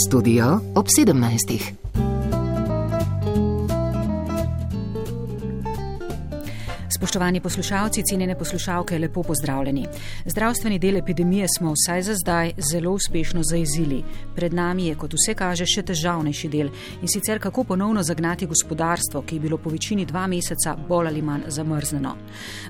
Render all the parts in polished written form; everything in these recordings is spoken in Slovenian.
Studio ob 17. Spoštovani poslušalci, cenjene poslušalke, lepo pozdravljeni. Zdravstveni del epidemije smo vsaj za zdaj zelo uspešno zajezili. Pred nami je, kot vse kaže, še težavnejši del in sicer kako ponovno zagnati gospodarstvo, ki je bilo po večini 2 meseca bolj ali manj zamrznjeno.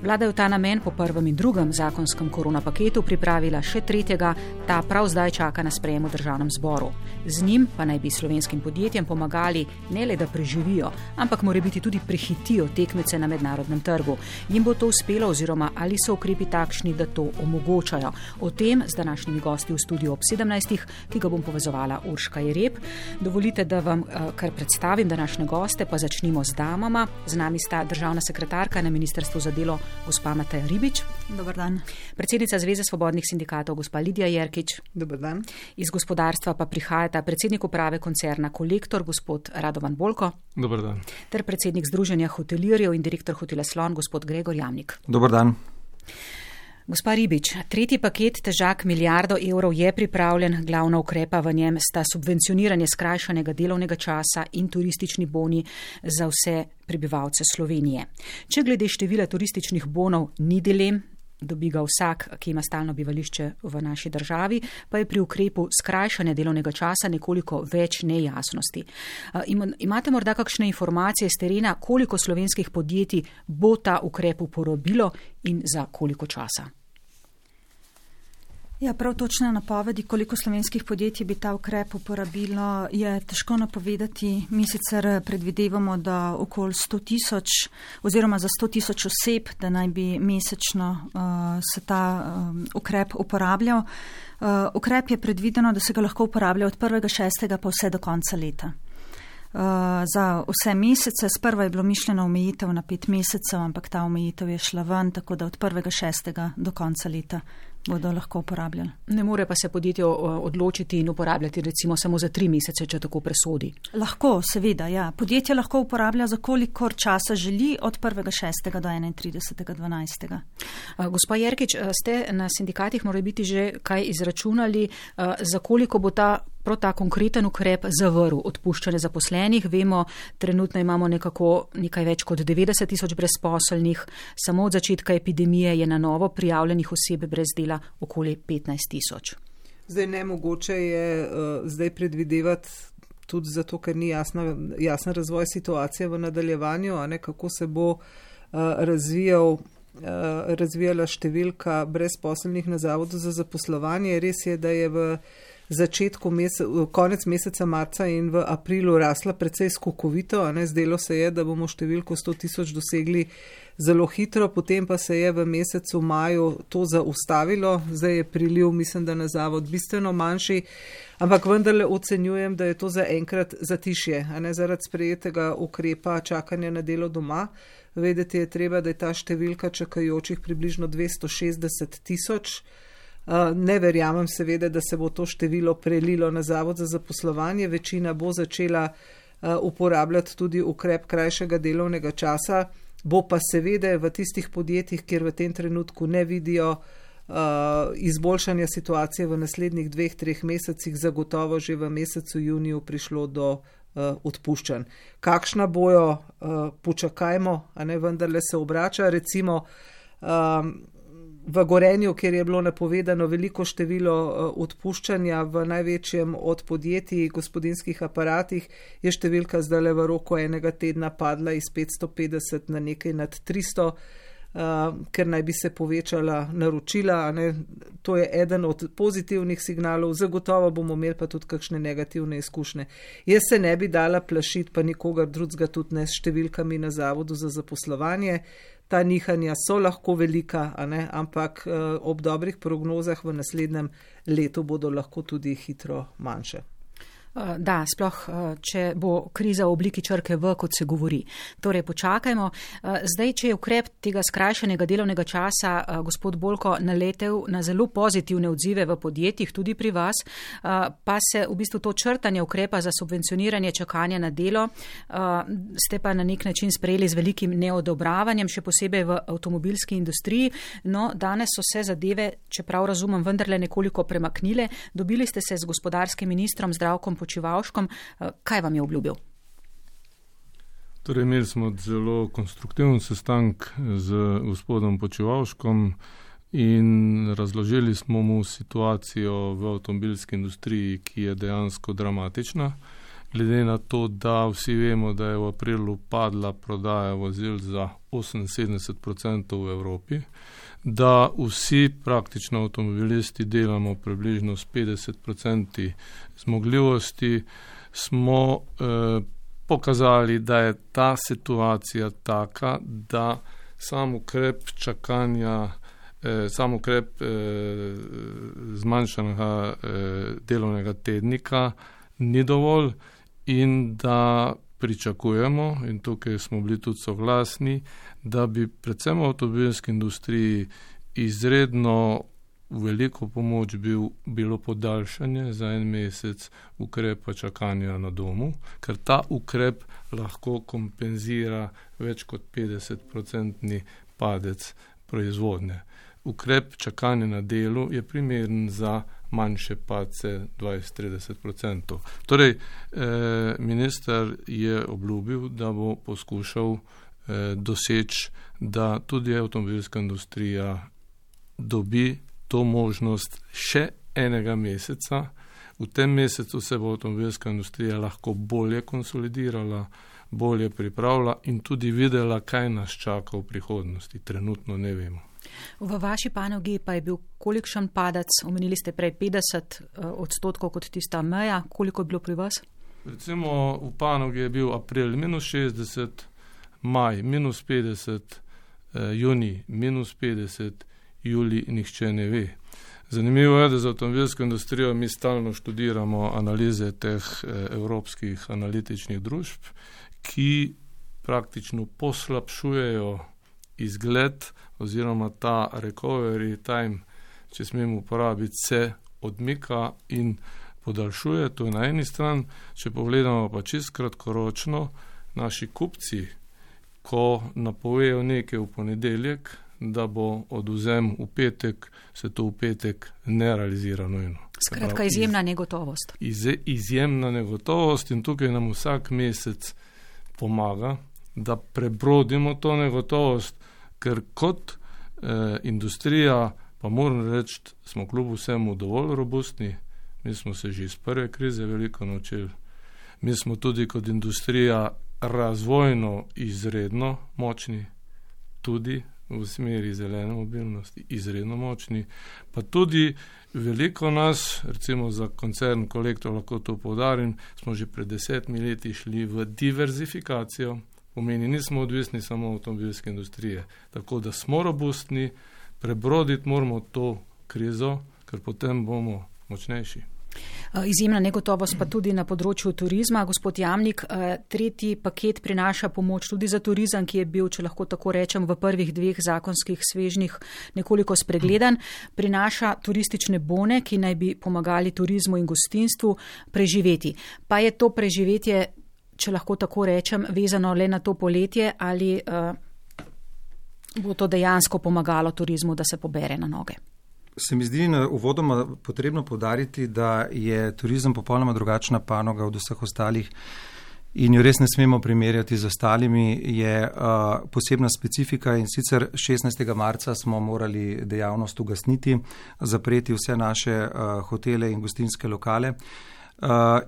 Vlada je v ta namen po prvem in drugem zakonskem koronapaketu pripravila še tretjega, ta prav zdaj čaka na sprejem v državnem zboru. Z njim pa naj bi slovenskim podjetjem pomagali ne le, da preživijo, ampak morebiti tudi prehitijo tekmece na mednarodnem trgu. Jim bo to uspelo oziroma ali so ukrepi takšni, da to omogočajo. O tem z današnjimi gosti v studiu ob 17, ki ga bom povezovala Urška Jereb. Dovolite, da vam kar predstavim današnje goste, pa začnimo z damama. Z nami sta državna sekretarka na Ministrstvu za delo, gospa Mateja Ribič. Dobar dan. Predsednica Zveze svobodnih sindikatov, gospa Lidija Jerkič. Dobar dan. Iz gospodarstva pa prihajata predsednik uprave koncerna Kolektor, gospod Radovan Bolko. Dobar dan. Ter predsednik Združenja hotelirjev in direktor hotela Slon, gospod Gregor Jamnik. Dobar dan. Gospa Ribič, tretji paket težak 1 milijardo evrov je pripravljen, glavna ukrepa v njem sta subvencioniranje skrajšanega delovnega časa in turistični boni za vse prebivalce Slovenije. Če glede števila turističnih bonov ni dilem, dobi ga vsak, ki ima stalno bivališče v naši državi, pa je pri ukrepu skrajšanja delovnega časa nekoliko več nejasnosti. Imate morda kakšne informacije z terena, koliko slovenskih podjetij bo ta ukrep uporabilo in za koliko časa? Ja, prav točne napovedi, koliko slovenskih podjetij bi ta ukrep uporabilo, je težko napovedati. Mi sicer predvidevamo, da okoli 100 000 oziroma za 100 000 oseb, da naj bi mesečno se ta ukrep uporabljal. Ukrep je predvideno, da se ga lahko uporablja od 1.6. pa vse do konca leta. Za vse mesece, sprva je bilo mišljeno omejitev na 5 mesecev, ampak ta omejitev je šla ven, tako da od 1.6. do konca leta bodo lahko uporabljali. Ne more pa se podjetje odločiti in uporabljati recimo samo za 3 mesece, če tako presodi? Lahko, seveda, ja. Podjetje lahko uporablja za kolikor časa želi od 1.6. do 31.12. Gospa Jerkič, ste na sindikatih morali biti že kaj izračunali, za koliko bo prav ta konkreten ukrep zavrl odpuščanje zaposlenih? Vemo, trenutno imamo nekaj več kot 90 000 brezposelnih, samo od začetka epidemije je na novo prijavljenih oseb brez dela okoli 15 000. Zdaj nemogoče je zdaj predvidevati tudi zato, ker ni jasen razvoj situacije v nadaljevanju, kako se bo razvijala številka brezposelnih na Zavodu za zaposlovanje. Res je, da je v konec meseca marca in v aprilu rasla precej skokovito, zdelo se je, da bomo številko 100 000 dosegli zelo hitro, potem pa se je v mesecu maju to zaustavilo, zdaj je priliv, mislim, da na zavod bistveno manjši, ampak vendarle ocenjujem, da je to zaenkrat zatišje, zaradi sprejetega ukrepa čakanja na delo doma. Vedeti je treba, da je ta številka čakajočih približno 260 000. Ne verjamem seveda, da se bo to število prelilo na Zavod za zaposlovanje. Večina bo začela uporabljati tudi ukrep krajšega delovnega časa, bo pa seveda v tistih podjetjih, kjer v tem trenutku ne vidijo izboljšanja situacije v naslednjih 2-3 mesecih, zagotovo že v mesecu juniju prišlo do odpuščanj. Kakšna bojo, počakajmo, vendarle se obrača, recimo v Gorenju, kjer je bilo napovedano veliko število odpuščanja v največjem od podjetij, gospodinjskih aparatih, je številka zdaj v roku enega tedna padla iz 550 na nekaj nad 300, ker naj bi se povečala naročila. To je eden od pozitivnih signalov, zagotovo bomo imeli pa tudi kakšne negativne izkušnje. Jaz se ne bi dala plašiti, pa nikogar drugega tudi ne, s številkami na Zavodu za zaposlovanje. Ta nihanja so lahko velika, ampak ob dobrih prognozah v naslednjem letu bodo lahko tudi hitro manjše. Da, sploh, če bo kriza v obliki črke V, kot se govori. Torej, počakajmo. Zdaj, če je ukrep tega skrajšanega delovnega časa, gospod Bolko, naletel na zelo pozitivne odzive v podjetjih, tudi pri vas, pa se v bistvu to črtanje ukrepa za subvencioniranje čakanja na delo ste pa na nek način sprejeli z velikim neodobravanjem, še posebej v avtomobilski industriji. No, danes so se zadeve, čeprav razumem, vendarle nekoliko premaknile. Dobili ste se z gospodarskim ministrom Zdravkom Počivalškom. Kaj vam je obljubil? Torej, imeli smo zelo konstruktiven sestanek z gospodom Počivalškom in razložili smo mu situacijo v avtomobilski industriji, ki je dejansko dramatična. Glede na to, da vsi vemo, da je v aprilu padla prodaja vozil za 78% v Evropi, da vsi praktično avtomobilisti delamo približno s 50% zmogljivosti, smo pokazali, da je ta situacija taka, da sam ukrep čakanja, sam ukrep zmanjšanega delovnega tednika ni dovolj in da pričakujemo, in tukaj smo bili tudi soglasni, da bi predvsem v avtomobilski industriji izredno veliko pomoč bilo podaljšanje za 1 mesec ukrepa čakanja na domu, ker ta ukrep lahko kompenzira več kot 50% padec proizvodnje. Ukrep čakanja na delu je primeren za manjše padce 20-30%. Torej, minister je obljubil, da bo poskušal doseči, da tudi avtomobilska industrija dobi to možnost še 1 meseca. V tem mesecu se bo avtomobilska industrija lahko bolje konsolidirala, bolje pripravila in tudi videla, kaj nas čaka v prihodnosti. Trenutno ne vemo. V vaši panogi pa je bil kolikšen padec? Omenili ste prej 50% kot tista meja. Koliko je bilo pri vas? Recimo v panogi je bil april -60%, maj -50%, junij -50%, julij nihče ne ve. Zanimivo je, da za avtomobilsko industrijo mi stalno študiramo analize teh evropskih analitičnih družb, ki praktično poslabšujejo izgled oziroma ta recovery time, če smemo uporabiti, se odmika in podaljšuje. To je na eni strani. Če pogledamo pa čisto kratkoročno, naši kupci, ko napovejo nekaj v ponedeljek, da bo odvzem v petek, se to v petek ne realizira nujno. Skratka, izjemna negotovost. Izjemna negotovost in tukaj nam vsak mesec pomaga, da prebrodimo to negotovost, ker kot industrija, pa moram reči, smo kljub vsemu dovolj robustni. Mi smo se že iz prve krize veliko naučili. Mi smo tudi kot industrija razvojno izredno močni, tudi v smeri zelene mobilnosti, izredno močni, pa tudi veliko nas, recimo za koncern Kolektor, lahko to poudarim, smo že pred 10 leti šli v diverzifikacijo, pomeni, nismo odvisni samo avtomobilske industrije, tako da smo robustni, prebroditi moramo to krizo, ker potem bomo močnejši. Izjemna negotovost pa tudi na področju turizma. Gospod Jamnik, 3. paket prinaša pomoč tudi za turizem, ki je bil, če lahko tako rečem, v prvih 2 zakonskih svežnjih nekoliko spregledan. Prinaša turistične bone, ki naj bi pomagali turizmu in gostinstvu preživeti. Pa je to preživetje, če lahko tako rečem, vezano le na to poletje ali bo to dejansko pomagalo turizmu, da se pobere na noge? Se mi zdi uvodoma potrebno poudariti, da je turizem popolnoma drugačna panoga od vseh ostalih in jo res ne smemo primerjati z ostalimi. Je posebna specifika in sicer 16. marca smo morali dejavnost ugasniti, zapreti vse naše hotele in gostinske lokale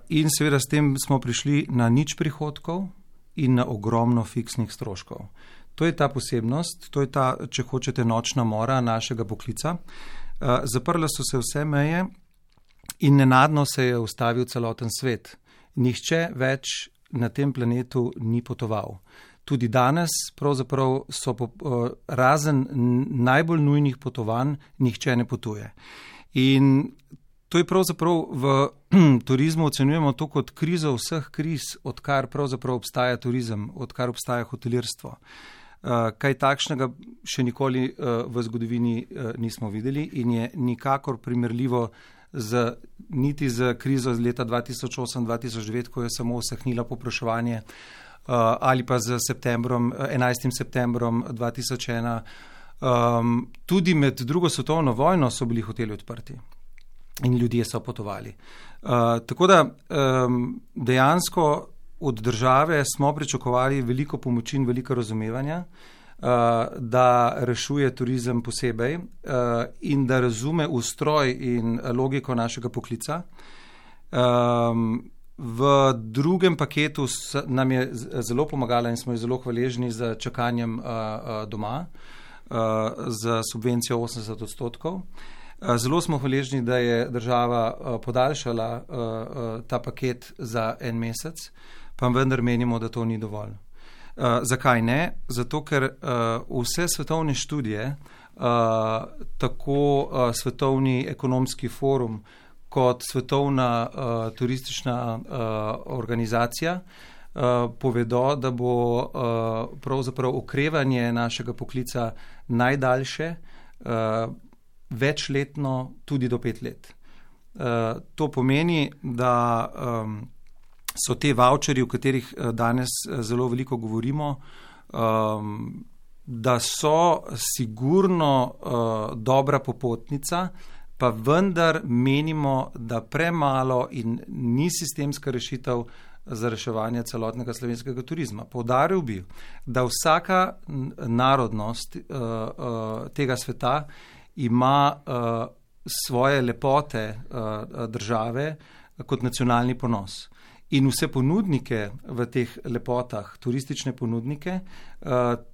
in seveda s tem smo prišli na nič prihodkov in na ogromno fiksnih stroškov. To je ta posebnost, to je ta, če hočete, nočna mora našega poklica. Zaprle so se vse meje in nenadno se je ustavil celoten svet. Nihče več na tem planetu ni potoval. Tudi danes pravzaprav so razen najbolj nujnih potovanj nihče ne potuje. In to je pravzaprav v turizmu ocenjujemo to kot krizo vseh kriz, odkar pravzaprav obstaja turizem, odkar obstaja hotelirstvo. Kaj takšnega še nikoli v zgodovini nismo videli in je nikakor primerljivo niti z krizo z leta 2008-2009, ko je samo usahnila povpraševanje, ali pa z 11. septembrom 2001. Tudi med drugo svetovno vojno so bili hoteli odprti. in ljudje so potovali. Tako da dejansko od države smo pričakovali veliko pomoči in veliko razumevanja, da rešuje turizem posebej in da razume ustroj in logiko našega poklica. V drugem paketu nam je zelo pomagala in smo ji zelo hvaležni za čakanjem doma, za subvencijo 80%. Zelo smo hvaležni, da je država podaljšala ta paket za en mesec, pa vendar menimo, da to ni dovolj. Zakaj ne? Zato, ker vse svetovne študije, tako Svetovni ekonomski forum kot Svetovna turistična organizacija povedo, da bo pravzaprav okrevanje našega poklica najdaljše, večletno, tudi do 5 let. To pomeni, da so te voucherji, o katerih danes zelo veliko govorimo, da so sigurno dobra popotnica, pa vendar menimo, da premalo in ni sistemska rešitev za reševanje celotnega slovenskega turizma. Poudaril bi, da vsaka narodnost tega sveta ima svoje lepote države kot nacionalni ponos. In vse ponudnike v teh lepotah, turistične ponudnike,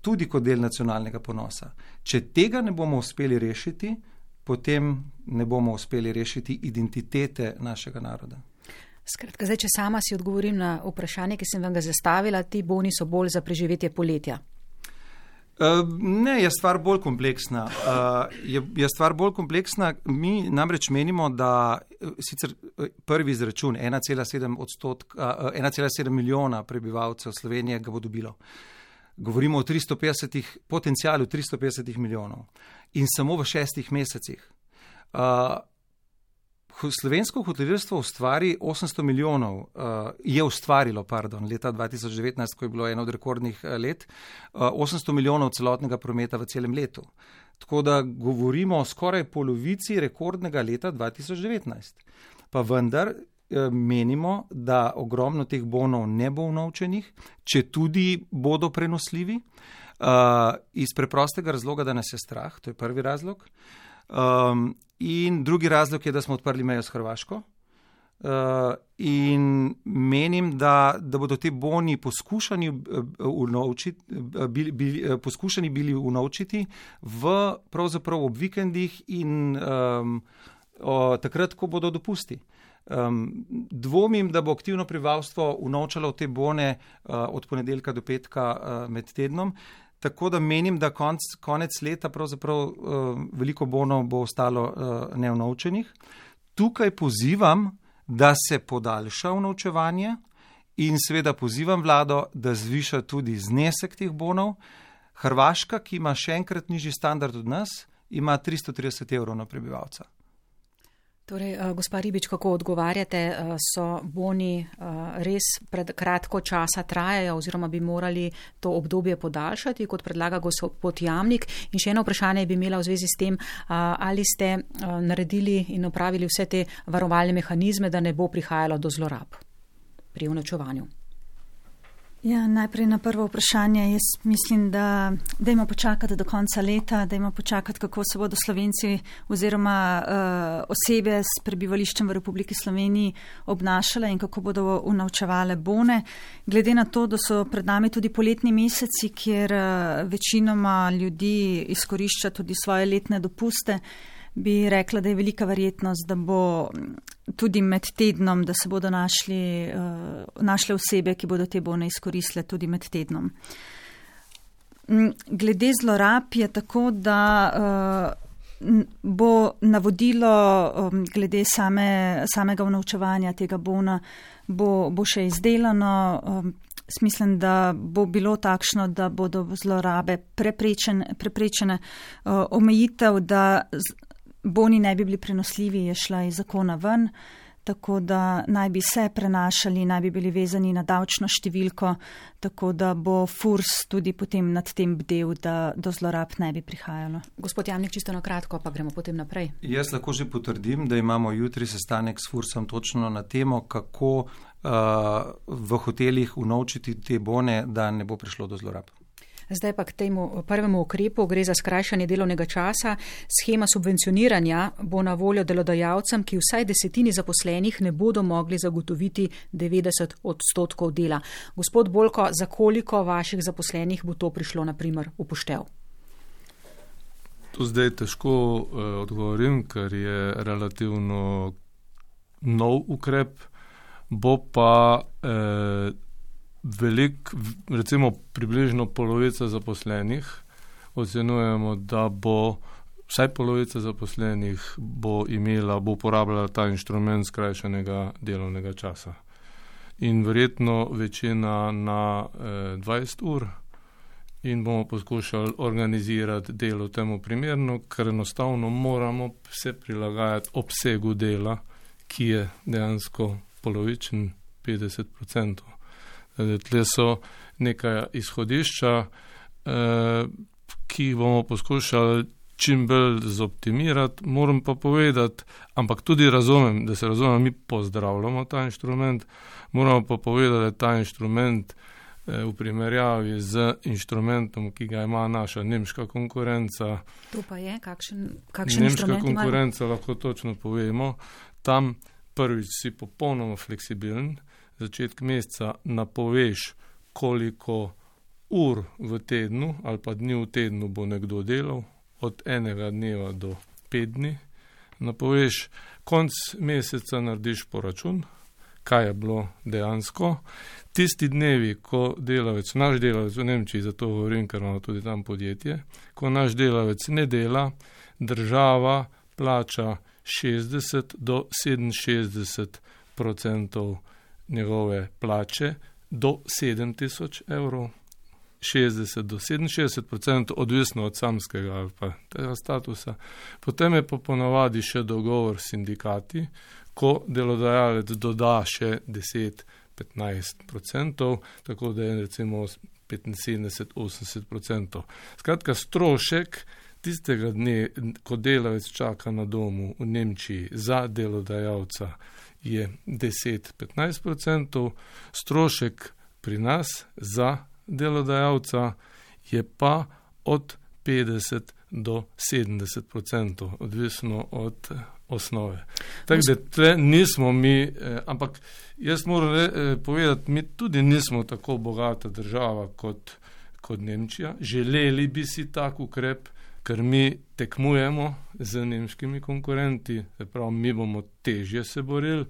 tudi kot del nacionalnega ponosa. Če tega ne bomo uspeli rešiti, potem ne bomo uspeli rešiti identitete našega naroda. Skratka, zdaj, če sama si odgovorim na vprašanje, ki sem vam ga zastavila, ti boni so bolj za preživetje poletja. Ne, je stvar bolj kompleksna. Je stvar bolj kompleksna. Mi namreč menimo, da sicer prvi izračun 1,7 milijona prebivalcev Slovenije ga bo dobilo. Govorimo o potencialu 350 milijonov in samo v 6 mesecih. Slovensko hotelirstvo je ustvarilo leta 2019, ko je bilo eno od rekordnih let, 800 milijonov celotnega prometa v celem letu. Tako da govorimo o skoraj polovici rekordnega leta 2019. Pa vendar menimo, da ogromno teh bonov ne bo unovčenih, če tudi bodo prenosljivi, iz preprostega razloga, da nas je strah, to je prvi razlog. In drugi razlog je, da smo odprli mejo s Hrvaško in menim, da bodo te boni poskušani bili unovčiti pravzaprav ob vikendih in takrat, ko bodo dopusti. Dvomim, da bo aktivno prebivalstvo unovčalo te bone od ponedeljka do petka med tednom. Tako da menim, da konec leta pravzaprav veliko bonov bo ostalo neunovčenih. Tukaj pozivam, da se podaljša unovčevanje in seveda pozivam vlado, da zviša tudi znesek teh bonov. Hrvaška, ki ima še enkrat nižji standard od nas, ima 330 evrov na prebivalca. Torej, gospa Ribič, kako odgovarjate, so boni res pred kratko časa trajajo oziroma bi morali to obdobje podaljšati, kot predlaga gospod Jamnik? In še eno vprašanje bi imela v zvezi s tem, ali ste naredili in opravili vse te varovalne mehanizme, da ne bo prihajalo do zlorab pri unovčevanju? Ja, najprej na prvo vprašanje. Jaz mislim, da dajmo počakati do konca leta, dajmo počakati, kako se bodo Slovenci oziroma osebe s prebivališčem v Republiki Sloveniji obnašale in kako bodo unovčevale bone. Glede na to, da so pred nami tudi poletni meseci, kjer večinoma ljudi izkorišča tudi svoje letne dopuste, bi rekla, da je velika verjetnost, da bo tudi med tednom, da se bodo našle osebe, ki bodo te bone izkoristile tudi med tednom. Glede zlorab je tako, da bo navodilo glede samega unovčevanja tega bona bo še izdelano. Mislim, da bo bilo takšno, da bodo zlorabe preprečene. Omejitev, da boni ne bi bili prenosljivi, je šla iz zakona ven, tako da naj bi se prenašali, naj bi bili vezani na davčno številko, tako da bo FURS tudi potem nad tem bdel, da do zlorab ne bi prihajalo. Gospod Jamnik, čisto na kratko, pa gremo potem naprej. Jaz lahko že potrdim, da imamo jutri sestanek s FURSom točno na temo, kako v hotelih unovčiti te bone, da ne bo prišlo do zlorab. Zdaj pa k temu prvemu ukrepu, gre za skrajšanje delovnega časa. Schema subvencioniranja bo na voljo delodajalcem, ki vsaj 10 zaposlenih ne bodo mogli zagotoviti 90% dela. Gospod Bolko, za koliko vaših zaposlenih bo to prišlo na primer upoštev? To zdaj težko odgovorim, ker je relativno nov ukrep, bo pa recimo približno polovica zaposlenih, ocenujemo, da bo vsaj polovica zaposlenih bo uporabljala ta inštrument skrajšanega delovnega časa. In verjetno večina na 20 ur in bomo poskušali organizirati delo temu primerno, ker enostavno moramo se prilagajati obsegu dela, ki je dejansko polovičen 50%. Tle so neka izhodišča, ki bomo poskušali čim bolj zoptimirati. Moram pa povedati, ampak tudi razumem, da se razumem, mi pozdravljamo ta inštrument, moramo pa povedati, da je ta inštrument v primerjavi z inštrumentom, ki ga ima naša nemška konkurenca. To pa je, kakšen nemška inštrument imajo? konkurenca, lahko točno povemo, tam prvič si popolnoma fleksibilen, začetek meseca napoveš, koliko ur v tednu ali pa dni v tednu bo nekdo delal, od enega dneva do 5 dni. Napoveš, konc meseca narediš poračun, kaj je bilo dejansko. Tisti dnevi, ko delavec, naš delavec v Nemčiji, zato govorim, ker imamo tudi tam podjetje, ko naš delavec ne dela, država plača 60 do 67% njegove plače do 7.000 evrov, 60 do 67%, odvisno od samskega ali pa tega statusa. Potem je pa ponavadi še dogovor s sindikati, ko delodajalec doda še 10-15%, tako da je recimo 75-80%. Skratka, strošek tistega dne, ko delavec čaka na domu v Nemčiji za delodajalca, je 10-15%, strošek pri nas za delodajalca je pa od 50 do 70%, odvisno od osnove. Tako da tle nismo mi, ampak jaz moram povedati, mi tudi nismo tako bogata država kot Nemčija. Želeli bi si tak ukrep, ker mi tekmujemo z nemškimi konkurenti, se pravi, mi bomo težje se borili,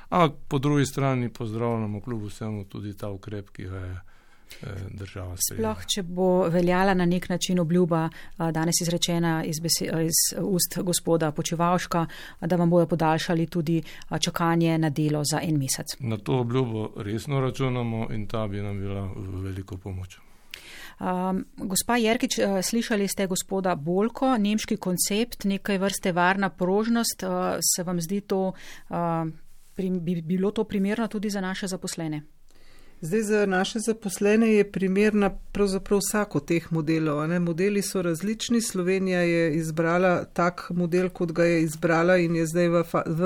ampak po drugi strani pozdravljamo kljub vsemu tudi ta ukrep, ki ga je država sprejela. Sploh, če bo veljala na nek način obljuba, danes izrečena iz ust gospoda Počivalška, da vam bojo podaljšali tudi čakanje na delo za 1 mesec. Na to obljubo resno računamo in ta bi nam bila v veliko pomoč. Gospa Jerkič, slišali ste gospoda Bolko, nemški koncept, nekaj vrste varna prožnost, se vam zdi to, bi bilo to primerno tudi za naše zaposlene? Zdaj za naše zaposlene je primerna pravzaprav vsako teh modelov. Ne? Modeli so različni, Slovenija je izbrala tak model, kot ga je izbrala in je zdaj v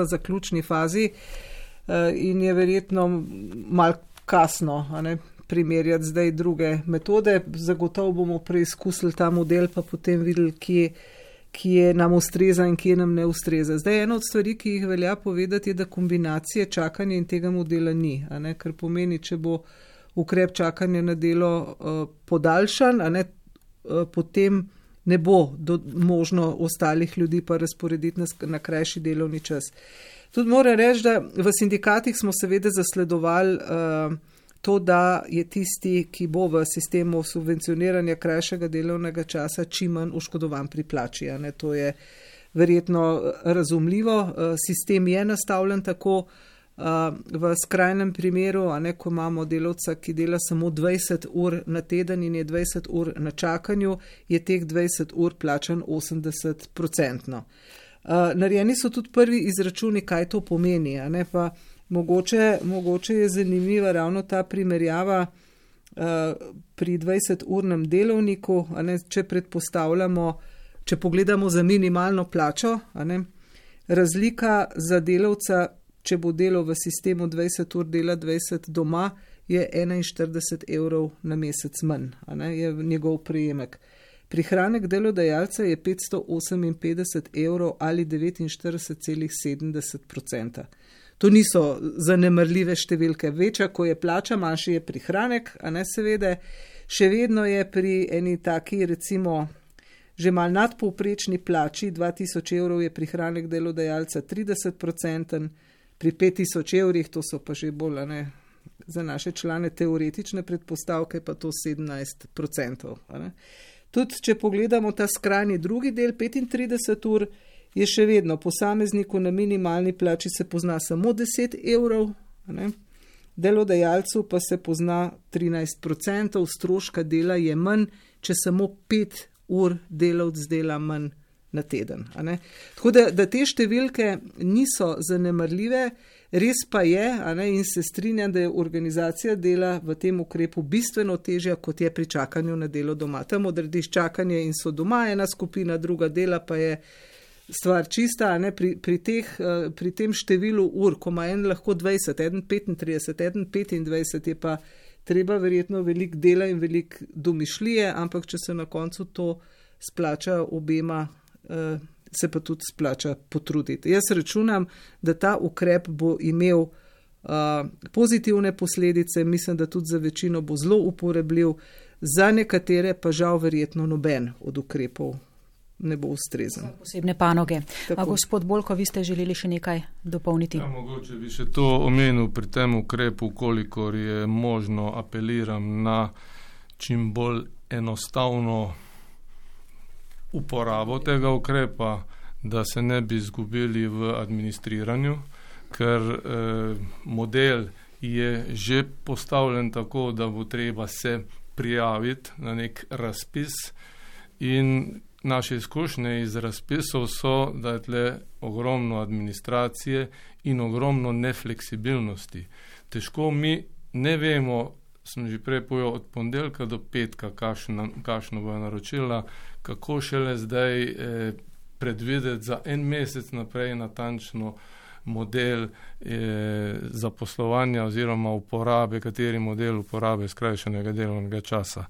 zaključni fazi in je verjetno malo kasno, ne? Primerjati zdaj druge metode. Zagotovo bomo preizkusili ta model, pa potem videli, kje nam ustreza in kje nam ne ustreza. Zdaj ena od stvari, ki jih velja povedati, je, da kombinacije čakanja in tega modela ni, ker pomeni, če bo ukrep čakanja na delo podaljšan, potem ne bo možno ostalih ljudi pa razporediti na krajši delovni čas. Tudi moram reči, da v sindikatih smo seveda zasledovali to, da je tisti, ki bo v sistemu subvencioniranja krajšega delovnega časa, čim manj oškodovan pri plači. To je verjetno razumljivo. Sistem je nastavljen tako v skrajnem primeru, ko imamo delavca, ki dela samo 20 ur na teden in je 20 ur na čakanju, je teh 20 ur plačan 80%. Narejeni so tudi prvi izračuni, kaj to pomeni, a ne, pa mogoče je zanimiva ravno ta primerjava pri 20-urnem delovniku, a ne, če predpostavljamo, če pogledamo za minimalno plačo, a ne, razlika za delavca, če bo delal v sistemu 20 ur dela 20 doma, je 41 evrov na mesec manj, a ne, je njegov prejemek. Prihranek delodajalca je 558 evrov ali 49,70%. To niso zanemarljive številke. Večja, ko je plača, manjši je prihranek, a ne seveda. Še vedno je pri eni taki, recimo, že mal nadpovprečni plači 2000 evrov je prihranek delodajalca 30%, pri 5000 evrih, to so pa že bolj, a ne, za naše člane teoretične predpostavke, pa to 17%. A ne. Tudi, če pogledamo ta skrajni drugi del, 35 ur, je še vedno posamezniku na minimalni plači se pozna samo 10 evrov, ne? Delodajalcu pa se pozna 13%, stroška dela je manj, če samo 5 ur delavc dela manj na teden. A ne? Tako da te številke niso zanemarljive, res pa je, a ne, in se strinjam, da je organizacija dela v tem ukrepu bistveno težja, kot je pri čakanju na delo doma. Tam odrediš čakanje in so doma ena skupina, druga dela pa je stvar čista, ne, pri tem številu ur, ko ima en lahko 20, eden 35, eden 25, je pa treba verjetno veliko dela in veliko domišljije, ampak če se na koncu to splača obema, se pa tudi splača potruditi. Jaz računam, da ta ukrep bo imel pozitivne posledice, mislim, da tudi za večino bo zelo uporabljiv, za nekatere pa žal verjetno noben od ukrepov ne bo ustrezen. Posebne panoge. Gospod Bolko, vi ste želeli še nekaj dopolniti? Ja, mogoče bi še to omenil pri tem ukrepu, kolikor je možno, apeliram na čim bolj enostavno uporabo tega ukrepa, da se ne bi izgubili v administriranju, ker model je že postavljen tako, da bo treba se prijaviti na nek razpis in naše izkušnje iz razpisov so, da je tle ogromno administracije in ogromno nefleksibilnosti. Težko mi ne vemo, sem že prej povedal, od ponedeljka do petka, kakšno bo naročila, kako šele zdaj predvideti za en mesec naprej natančno model zaposlovanja oziroma uporabe, kateri model uporabe skrajšanega delovnega časa.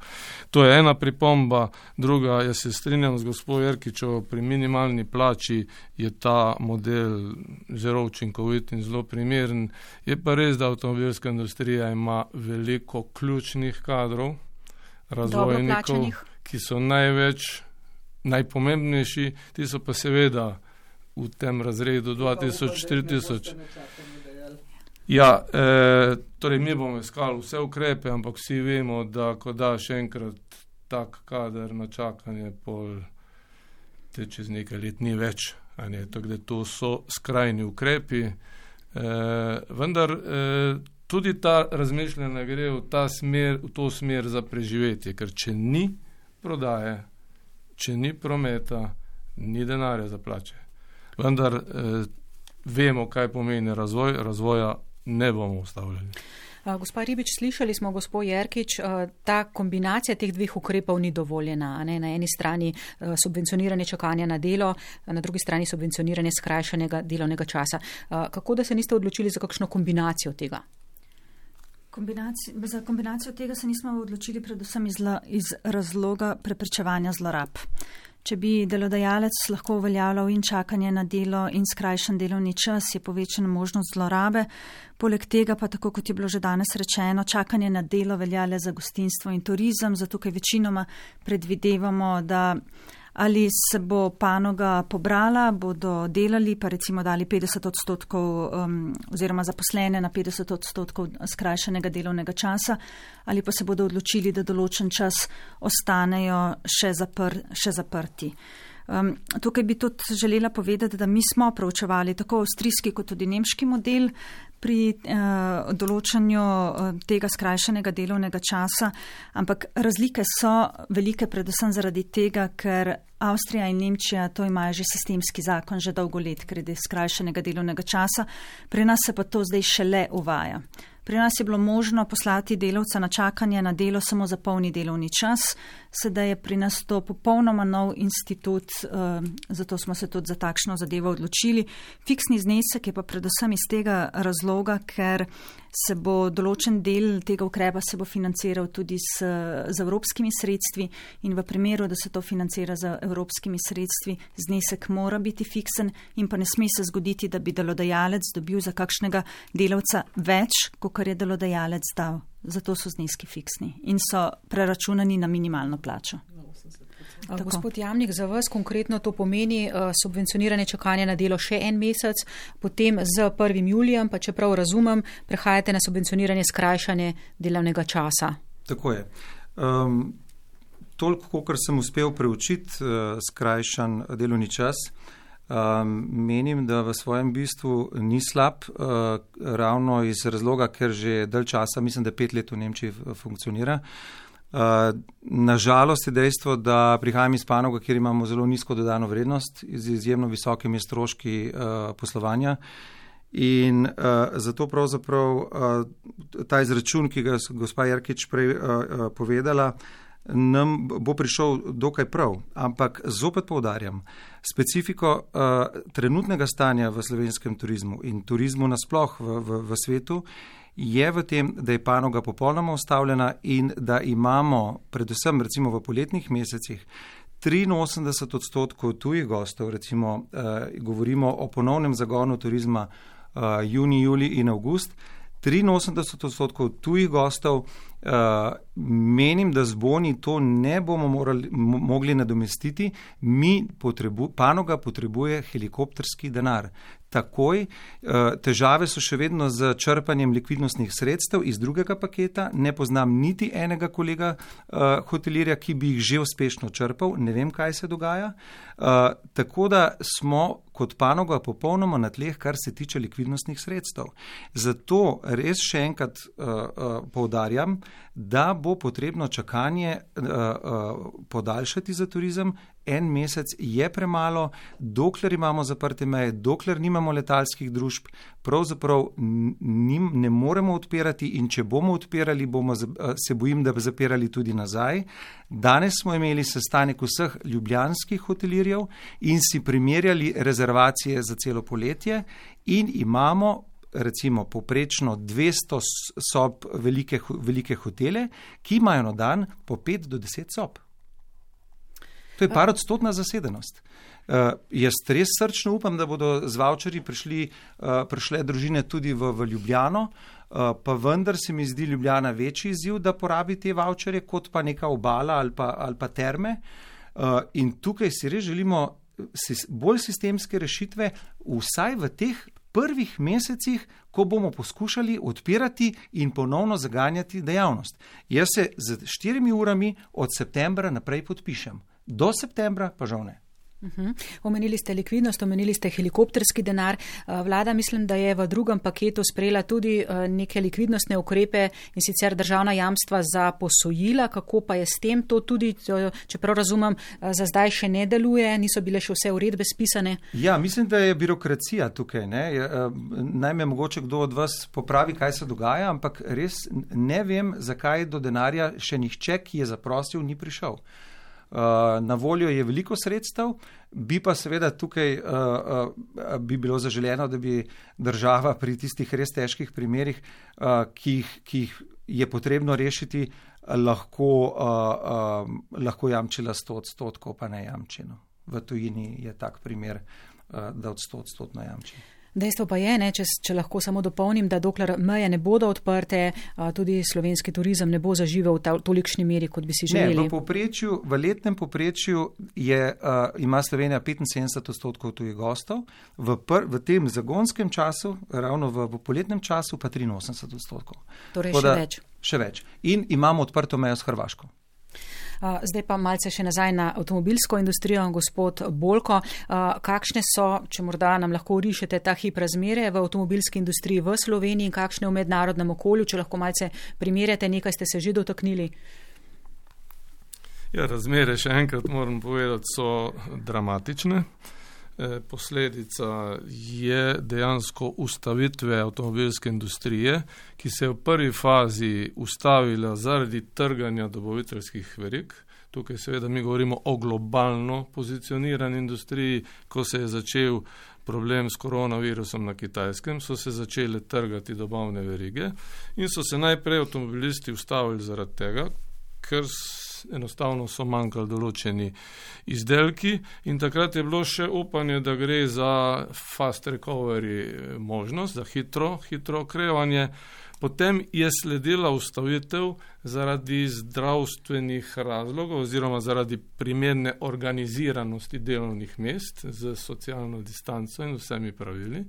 To je ena pripomba. Druga, jaz se strinjam z gospod Jerkičevo, pri minimalni plači je ta model zelo učinkovit in zelo primeren. Je pa res, da avtomobilska industrija ima veliko ključnih kadrov, razvojnikov, ki so najpomembnejši, ti so pa seveda v tem razredu 2000-4000. Ja, torej mi bomo iskali vse ukrepe, ampak vsi vemo, da ko daš enkrat tak kader na čakanje, pol te čez nekaj let ni več. Tako da to so skrajni ukrepi. Vendar tudi ta razmišljanja gre v to smer za preživetje, ker če ni prodaje, če ni prometa, ni denarja za plače. Vendar vemo, kaj pomeni razvoj, razvoja ne bomo ustavljali. Gospa Ribič, slišali smo, gospod Jerkič, ta kombinacija teh dveh ukrepov ni dovoljena. Ne? Na eni strani subvencioniranje čakanja na delo, na drugi strani subvencioniranje skrajšanega delovnega časa. Kako da se niste odločili za kakšno kombinacijo tega? Za kombinacijo tega se nismo odločili predvsem iz razloga preprečevanja zlorab. Če bi delodajalec lahko uveljavljal in čakanje na delo in skrajšan delovni čas, je povečana možnost zlorabe. Poleg tega pa, tako kot je bilo že danes rečeno, čakanje na delo velja le za gostinstvo in turizem, zato kaj večinoma predvidevamo, da ali se bo panoga pobrala, bodo delali, pa recimo dali 50% oziroma zaposlene na 50% skrajšanega delovnega časa, ali pa se bodo odločili, da določen čas ostanejo še zaprti. Tukaj bi tudi želela povedati, da mi smo proučevali tako avstrijski kot tudi nemški model. pri določanju tega skrajšanega delovnega časa, ampak razlike so velike predvsem zaradi tega, ker Avstrija in Nemčija to imajo že sistemski zakon, že dolgo let, glede skrajšanega delovnega časa. Pri nas se pa to zdaj šele uvaja. Pri nas je bilo možno poslati delavca na čakanje na delo samo za polni delovni čas. Sedaj je pri nas to popolnoma nov institut, zato smo se tudi za takšno zadevo odločili. Fiksni znesek je pa predvsem iz tega razloga, ker se bo določen del tega ukrepa se bo financiral tudi z evropskimi sredstvi in v primeru, da se to financira z evropskimi sredstvi, znesek mora biti fiksen in pa ne sme se zgoditi, da bi delodajalec dobil za kakšnega delavca več, kot je delodajalec dal. Zato so zneski fiksni in so preračunani na minimalno plačo. Gospod Jamnik, za vas konkretno to pomeni subvencioniranje čakanja na delo še en mesec, potem z 1. julijem, pa čeprav razumem, prehajate na subvencioniranje skrajšanje delovnega časa. Tako je. Toliko, kar sem uspel preučiti skrajšan delovni čas, menim, da v svojem bistvu ni slab, ravno iz razloga, ker že dalj časa, mislim, da 5 let v Nemčiji funkcionira. Nažalost je dejstvo, da prihajam iz panoga, kjer imamo zelo nizko dodano vrednost, z izjemno visokimi stroški poslovanja in zato pravzaprav ta izračun, ki ga gospa Jerkič prej povedala, nam bo prišel dokaj prav, ampak zopet poudarjam, specifiko trenutnega stanja v slovenskem turizmu in turizmu nasploh v svetu je v tem, da je panoga popolnoma ustavljena in da imamo predvsem recimo v poletnih mesecih 83% tujih gostov, recimo govorimo o ponovnem zagonu turizma junij, julij in avgust, 83% tujih gostov, menim, da z boni to ne bomo mogli nadomestiti, panoga potrebuje helikopterski denar. Takoj, težave so še vedno z črpanjem likvidnostnih sredstev iz drugega paketa, ne poznam niti enega kolega hotelirja, ki bi jih že uspešno črpal, ne vem, kaj se dogaja, tako da smo kot panoga popolnoma na tleh, kar se tiče likvidnostnih sredstev. Zato res še enkrat poudarjam, da bo potrebno čakanje podaljšati za turizem. En mesec je premalo, dokler imamo zaprte meje, dokler nimamo letalskih družb, pravzaprav ne moremo odpirati in če bomo odpirali, se bojim, da bi zapirali tudi nazaj. Danes smo imeli sestanek vseh ljubljanskih hotelirjev in si primerjali rezervacije za celo poletje in imamo recimo poprečno 200 sob velike hotele, ki imajo na dan po 5 do 10 sob. To je parodstotna zasedenost. Jaz res srčno upam, da bodo z vaučerji prišle družine tudi v Ljubljano, pa vendar se mi zdi Ljubljana večji izziv, da porabi te vaučerje, kot pa neka obala ali pa terme. In tukaj si res želimo bolj sistemske rešitve, vsaj v teh prvih mesecih, ko bomo poskušali odpirati in ponovno zaganjati dejavnost. Jaz se z 4 urami od septembra naprej podpišem. Do septembra pa žal ne. Omenili ste likvidnost, omenili ste helikopterski denar. Vlada mislim, da je v drugem paketu sprejela tudi neke likvidnostne ukrepe in sicer državna jamstva za posojila. Kako pa je s tem? To tudi, čeprav razumem, za zdaj še ne deluje, niso bile še vse uredbe spisane. Ja, mislim, da je birokracija tukaj. Naj me mogoče kdo od vas popravi, kaj se dogaja, ampak res ne vem, zakaj do denarja še nihče, ki je zaprosil, ni prišel. Na voljo je veliko sredstev, bi pa seveda tukaj bi bilo zaželeno, da bi država pri tistih res težkih primerih, ki jih je potrebno rešiti, lahko jamčila 100%, pa ne jamčino. V tujini je tak primer, da od 100% jamči. Dejstvo pa je, če lahko samo dopolnim, da dokler meje ne bodo odprte, tudi slovenski turizem ne bo zaživel v tolikšni meri, kot bi si želeli. V letnem povprečju ima Slovenija 75% tujih gostov, v tem zagonskem času, ravno v poletnem času, pa 83%. Torej še več. Še več. In imamo odprto mejo s Hrvaško. Zdaj pa malce še nazaj na avtomobilsko industrijo, gospod Bolko. Kakšne so, če morda nam lahko rišete ta hip razmere v avtomobilski industriji v Sloveniji in kakšne v mednarodnem okolju, če lahko malce primerjate, nekaj ste se že dotaknili? Ja, razmere, še enkrat moram povedati, so dramatične. Posledica je dejansko ustavitve avtomobilske industrije, ki se je v prvi fazi ustavila zaradi trganja dobaviteljskih verig. Tukaj seveda mi govorimo o globalno pozicionirani industriji. Ko se je začel problem s koronavirusom na Kitajskem, so se začele trgati dobavne verige in so se najprej avtomobilisti ustavili zaradi tega, ker enostavno so manjkali določeni izdelki in takrat je bilo še upanje, da gre za fast recovery možnost, za hitro okrevanje. Potem je sledila ustavitev zaradi zdravstvenih razlogov oziroma zaradi primerne organiziranosti delovnih mest z socialno distanco in vsemi pravili.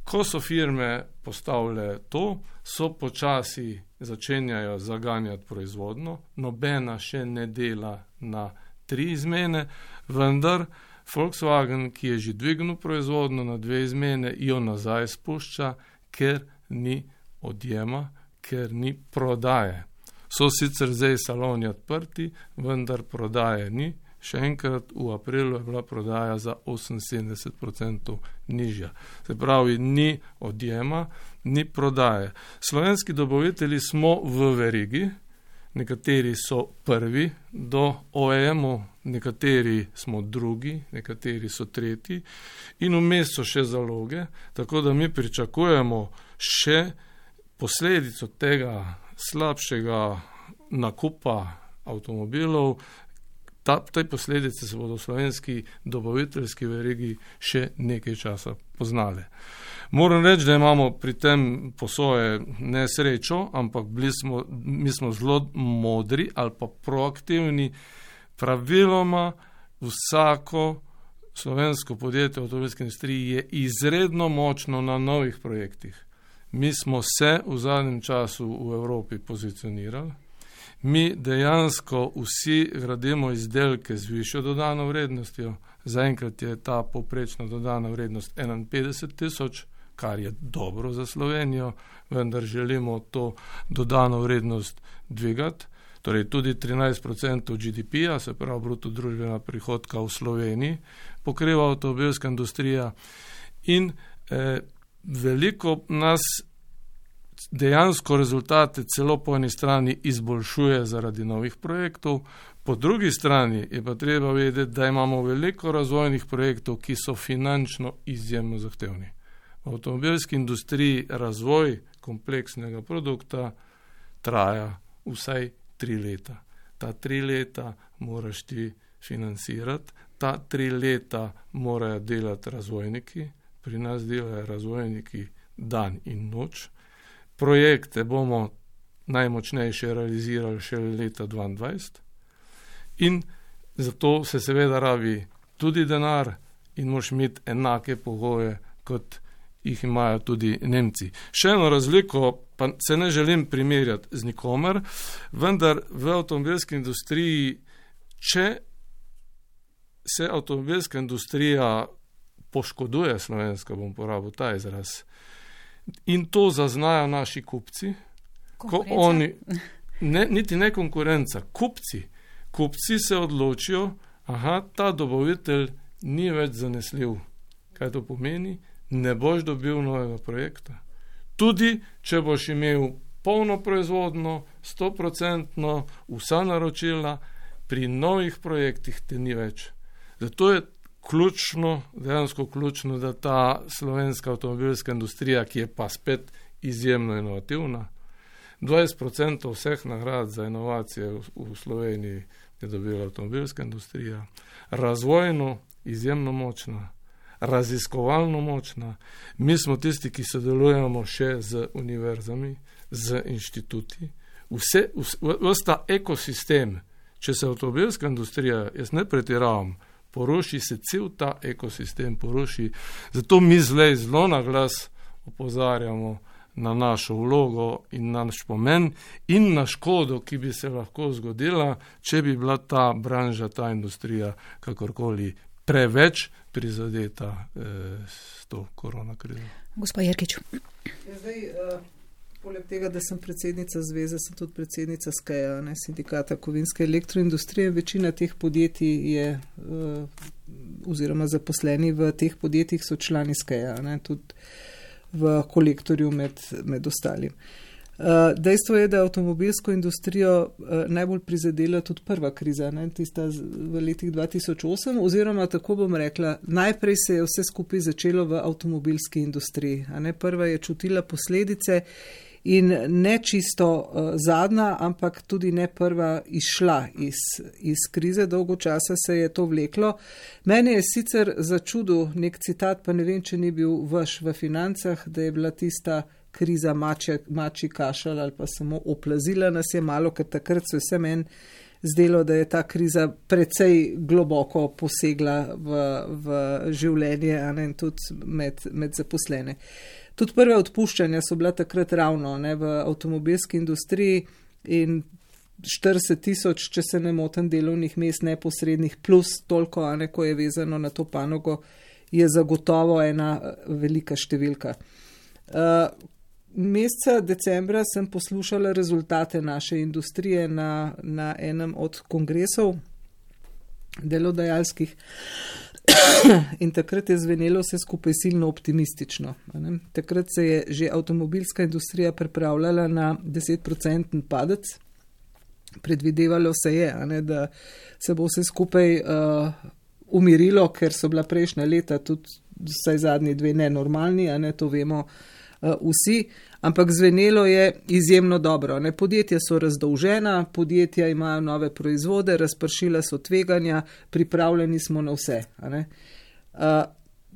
Ko so firme postavile to, so počasi začenjajo zaganjati proizvodno, nobena še ne dela na 3 izmene, vendar Volkswagen, ki je že dvignil proizvodno na 2 izmene, jo nazaj spušča, ker ni odjema, ker ni prodaje. So sicer zdaj saloni odprti, vendar prodaje ni. Še enkrat, v aprilu je bila prodaja za 78% nižja. Se pravi, ni odjema, ni prodaje. Slovenski dobavitelji smo v verigi, nekateri so prvi do OEM-u, nekateri smo drugi, nekateri so tretji in vmes so še zaloge, tako da mi pričakujemo še posledico tega slabšega nakupa avtomobilov. Te posledice se bodo v slovenski dobaviteljski verigi še nekaj časa poznale. Moram reči, da imamo pri tem posoje nesrečo, ampak mi smo zelo modri ali pa proaktivni. Praviloma vsako slovensko podjetje v avtomobilski industriji je izredno močno na novih projektih. Mi smo se v zadnjem času v Evropi pozicionirali. Mi dejansko vsi gradimo izdelke z višjo dodano vrednostjo. Zaenkrat je ta povprečna dodana vrednost 51.000, kar je dobro za Slovenijo, vendar želimo to dodano vrednost dvigati. Torej tudi 13% GDP-ja, se pravi bruto družbena prihodka v Sloveniji, pokriva avtomobilska industrija in veliko nas dejansko rezultate celo po eni strani izboljšuje zaradi novih projektov, po drugi strani je pa treba vedeti, da imamo veliko razvojnih projektov, ki so finančno izjemno zahtevni. V avtomobilski industriji razvoj kompleksnega produkta traja vsaj 3 leta. Ta 3 leta moraš ti financirati, ta 3 leta morajo delati razvojniki, pri nas delajo razvojniki dan in noč. Projekte bomo najmočnejše realizirali še leta 2022 in zato se seveda rabi tudi denar in moraš imeti enake pogoje, kot jih imajo tudi Nemci. Še eno razliko, pa se ne želim primerjati z nikomer, vendar v avtomobilski industriji, če se avtomobilska industrija poškoduje, slovenska bom porabil ta izraz, in to zaznajo naši kupci, ko oni, niti ne konkurenca, kupci se odločijo, ta dobavitelj ni več zanesljiv. Kaj to pomeni? Ne boš dobil novega projekta. Tudi, če boš imel polno proizvodno, 100%, vsa naročila, pri novih projektih te ni več. Zato je dejansko ključno, da ta slovenska avtomobilska industrija, ki je pa spet izjemno inovativna, 20% vseh nagrad za inovacije v Sloveniji je dobila avtomobilska industrija, razvojno izjemno močna, raziskovalno močna. Mi smo tisti, ki sodelujemo še z univerzami, z inštituti. Ves ta ekosistem, če se avtomobilska industrija, jaz ne pretiravam, poruši se cel ta ekosistem, poruši. Zato mi zelo na glas opozarjamo, na našo vlogo in na naš pomen in na škodo, ki bi se lahko zgodila, če bi bila ta branža, ta industrija kakorkoli preveč prizadeta s to koronakrizo. Gospa Jerkič. Poleg tega, da sem predsednica zveze, sem tudi predsednica SKEA, sindikata kovinske elektroindustrije. Večina teh podjetij je, oziroma zaposleni v teh podjetjih so člani SKEA, tudi v kolektorju med ostalim. Dejstvo je, da je avtomobilsko industrijo najbolj prizadela tudi prva kriza, tista v letih 2008, oziroma tako bom rekla, najprej se je vse skupaj začelo v avtomobilski industriji. Prva je čutila posledice in ne čisto zadnja, ampak tudi ne prva izšla iz krize, dolgo časa se je to vleklo. Meni je sicer začudil nek citat, pa ne vem, če ni bil vaš v Financah, da je bila tista kriza mačji kašelj ali pa samo oplazila nas je malo, ker takrat se vse meni zdelo, da je ta kriza precej globoko posegla v življenje in tudi med zaposlene. Tudi prve odpuščanja so bila takrat ravno v avtomobilski industriji in 40,000, če se ne motim, delovnih mest neposrednih plus toliko, ko je vezano na to panogo, je zagotovo ena velika številka. Meseca decembra sem poslušala rezultate naše industrije na enem od kongresov delodajalskih in takrat je zvenelo vse skupaj silno optimistično. Takrat se je že avtomobilska industrija pripravljala na 10% padec. Predvidevalo se je, da se bo vse skupaj umirilo, ker so bila prejšnja leta tudi vsaj zadnji dve nenormalni, to vemo vsi, ampak zvenelo je izjemno dobro. Podjetja so razdolžena, podjetja imajo nove proizvode, razpršila so tveganja, pripravljeni smo na vse.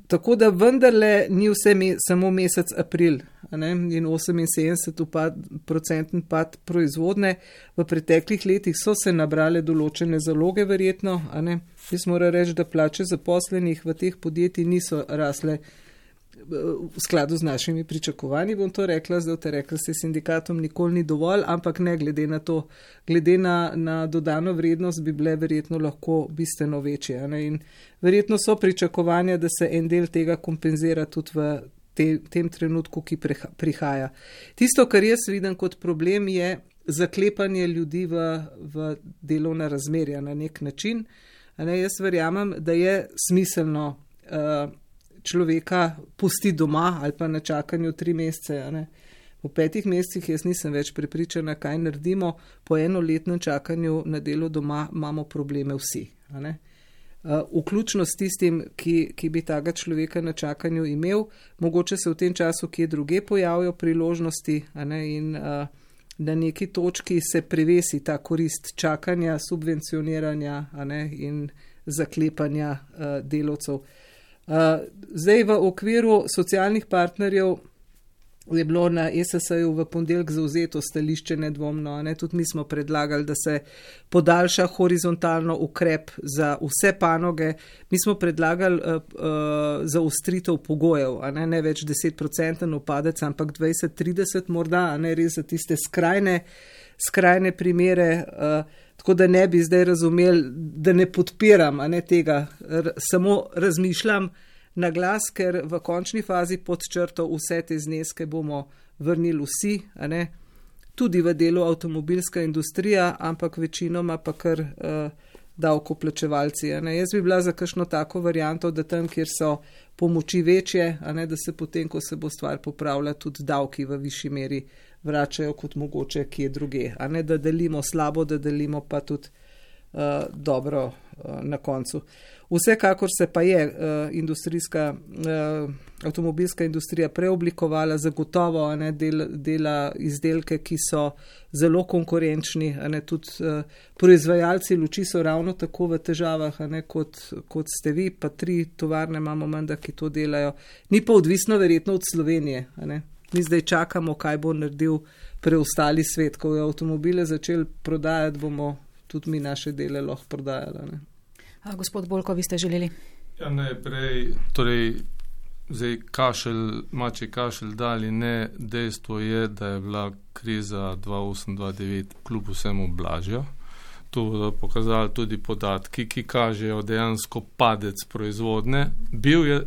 Tako da vendarle ni vse samo mesec april in 78% pad proizvodne. V preteklih letih so se nabrale določene zaloge verjetno. Jaz moram reči, da plače zaposlenih v teh podjetjih niso rasle v skladu z našimi pričakovanji, bom to rekla, zdaj te rekla, se sindikatom nikoli ni dovolj, ampak ne glede na to, glede na dodano vrednost bi bile verjetno lahko bistveno večje. In verjetno so pričakovanja, da se en del tega kompenzira tudi v tem trenutku, ki prihaja. Tisto, kar jaz vidim kot problem, je zaklepanje ljudi v delovna razmerja na nek način. Jaz verjamem, da je smiselno človeka pusti doma ali pa na čakanju 3 mesece. Po 5 mesecih jaz nisem več prepričana, kaj naredimo. Po enoletnem čakanju na delo doma imamo probleme vsi. Vključno s tistim, ki bi taga človeka na čakanju imel, mogoče se v tem času kje druge pojavijo priložnosti in na neki točki se prevesi ta korist čakanja, subvencioniranja in zaklepanja delavcev. Zdaj v okviru socialnih partnerjev je bilo na ESS-ju v ponedeljek zavzeto stališče nedvomno. Tudi mi smo predlagali, da se podaljša horizontalno ukrep za vse panoge. Mi smo predlagali zaostritev pogojev, ne več 10% upadec, ampak 20-30 morda, res za tiste skrajne primere. Tako da ne bi zdaj razumeli, da ne podpiram tega, samo razmišljam na glas, ker v končni fazi pod črto vse te zneske bomo vrnili vsi, tudi v delu avtomobilska industrija, ampak večinoma pa kar davkoplačevalci. Jaz bi bila za kakšno tako varianto, da tam, kjer so pomoči večje, da se potem, ko se bo stvar popravila, tudi davki v višji meri vračajo kot mogoče kje druge. Da delimo slabo, da delimo pa tudi dobro na koncu. Vsekakor se pa je avtomobilska industrija preoblikovala, zagotovo dela izdelke, ki so zelo konkurenčni, tudi proizvajalci luči so ravno tako v težavah, kot ste vi, pa 3 tovarne imamo menda, ki to delajo. Ni pa odvisno verjetno od Slovenije. Mi zdaj čakamo, kaj bo naredil preostali svet. Ko je avtomobile začeli prodajati, bomo tudi mi naše dele lahko prodajali. Gospod Bolko, vi ste želeli? Ja, najprej, torej zdaj mačji kašelj dali ne, dejstvo je, da je bila kriza 2008-2009 kljub vsemu blažja. To bodo pokazali tudi podatki, ki kažejo dejansko padec proizvodne.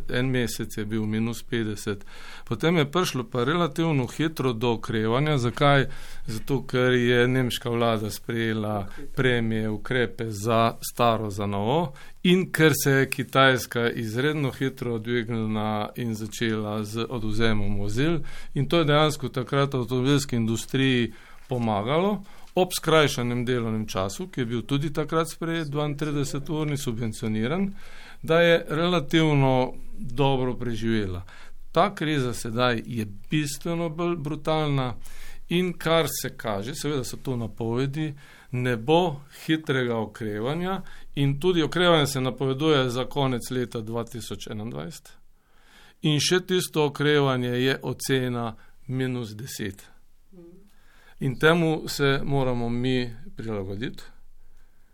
En mesec je bil -50, potem je prišlo pa relativno hitro do okrevanja. Zakaj? Zato, ker je nemška vlada sprejela premije, ukrepe za staro, za novo in ker se je Kitajska izredno hitro odvignila in začela z odvzemom vozil in to je dejansko takrat avtomobilski industriji pomagalo. Ob skrajšanem delovnem času, ki je bil tudi takrat sprejet, 32-urni subvencioniran, da je relativno dobro preživela. Ta kriza sedaj je bistveno bolj brutalna in kar se kaže, seveda so to napovedi, ne bo hitrega okrevanja in tudi okrevanje se napoveduje za konec leta 2021 in še tisto okrevanje je ocena -10. In temu se moramo mi prilagoditi,